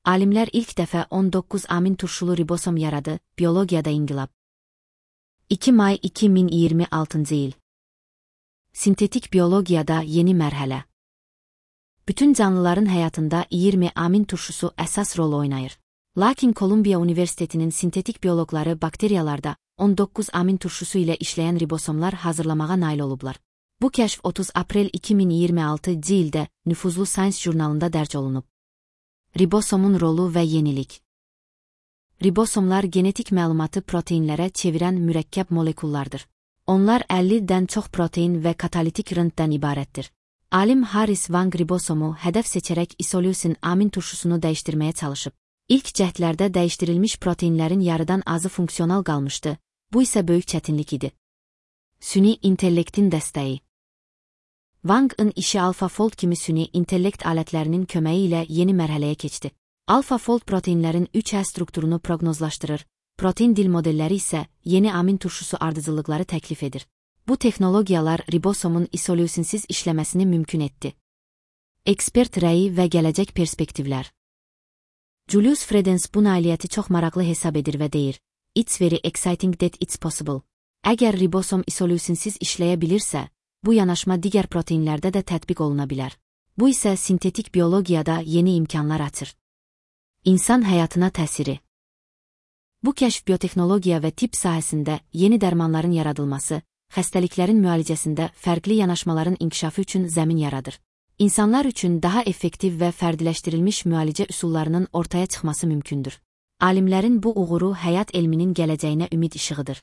Alimlər ilk dəfə 19 amin turşulu ribosom yaradı, biologiyada inqilab. 2 may 2026 il. Sintetik biologiyada yeni mərhələ. Bütün canlıların həyatında 20 amin turşusu əsas rol oynayır. Lakin Kolumbiya Universitetinin sintetik bioloqları bakteriyalarda 19 amin turşusu ilə işləyən ribosomlar hazırlamağa nail olublar. Bu kəşf 30 aprel 2026 ildə nüfuzlu Science jurnalında dərc olunub. Ribosomun rolu və yenilik. Ribosomlar genetik məlumatı proteinlərə çevirən mürəkkəb molekullardır. Onlar 50-dən çox protein və katalitik rıntdan ibarətdir. Alim Harris Wang ribosomu hədəf seçərək isoleucin amin turşusunu dəyişdirməyə çalışıb. İlk cəhdlərdə dəyişdirilmiş proteinlərin yarıdan azı funksional qalmışdı, bu isə böyük çətinlik idi. Süni intellektin dəstəyi. Wang'ın işi AlphaFold kimi süni intellekt alətlərinin köməyi ilə yeni mərhələyə keçdi. AlphaFold proteinlərin 3H strukturunu proqnozlaşdırır, protein dil modelləri isə yeni amin turşusu ardıcıllıqları təklif edir. Bu texnologiyalar ribosomun isoleucinsiz işləməsini mümkün etdi. Ekspert rəyi və gələcək perspektivlər. Julius Fredens bu nailiyyəti çox maraqlı hesab edir və deyir: "It's very exciting that it's possible." Əgər ribosom isoleucinsiz işləyə bilirsə, bu yanaşma digər proteinlərdə də tətbiq oluna bilər. Bu isə sintetik biologiyada yeni imkanlar açır. İnsan həyatına təsiri. Bu kəşf biotexnologiya və tibb sahəsində yeni dərmanların yaradılması, xəstəliklərin müalicəsində fərqli yanaşmaların inkişafı üçün zəmin yaradır. İnsanlar üçün daha effektiv və fərdiləşdirilmiş müalicə üsullarının ortaya çıxması mümkündür. Alimlərin bu uğuru həyat elminin gələcəyinə ümid işığıdır.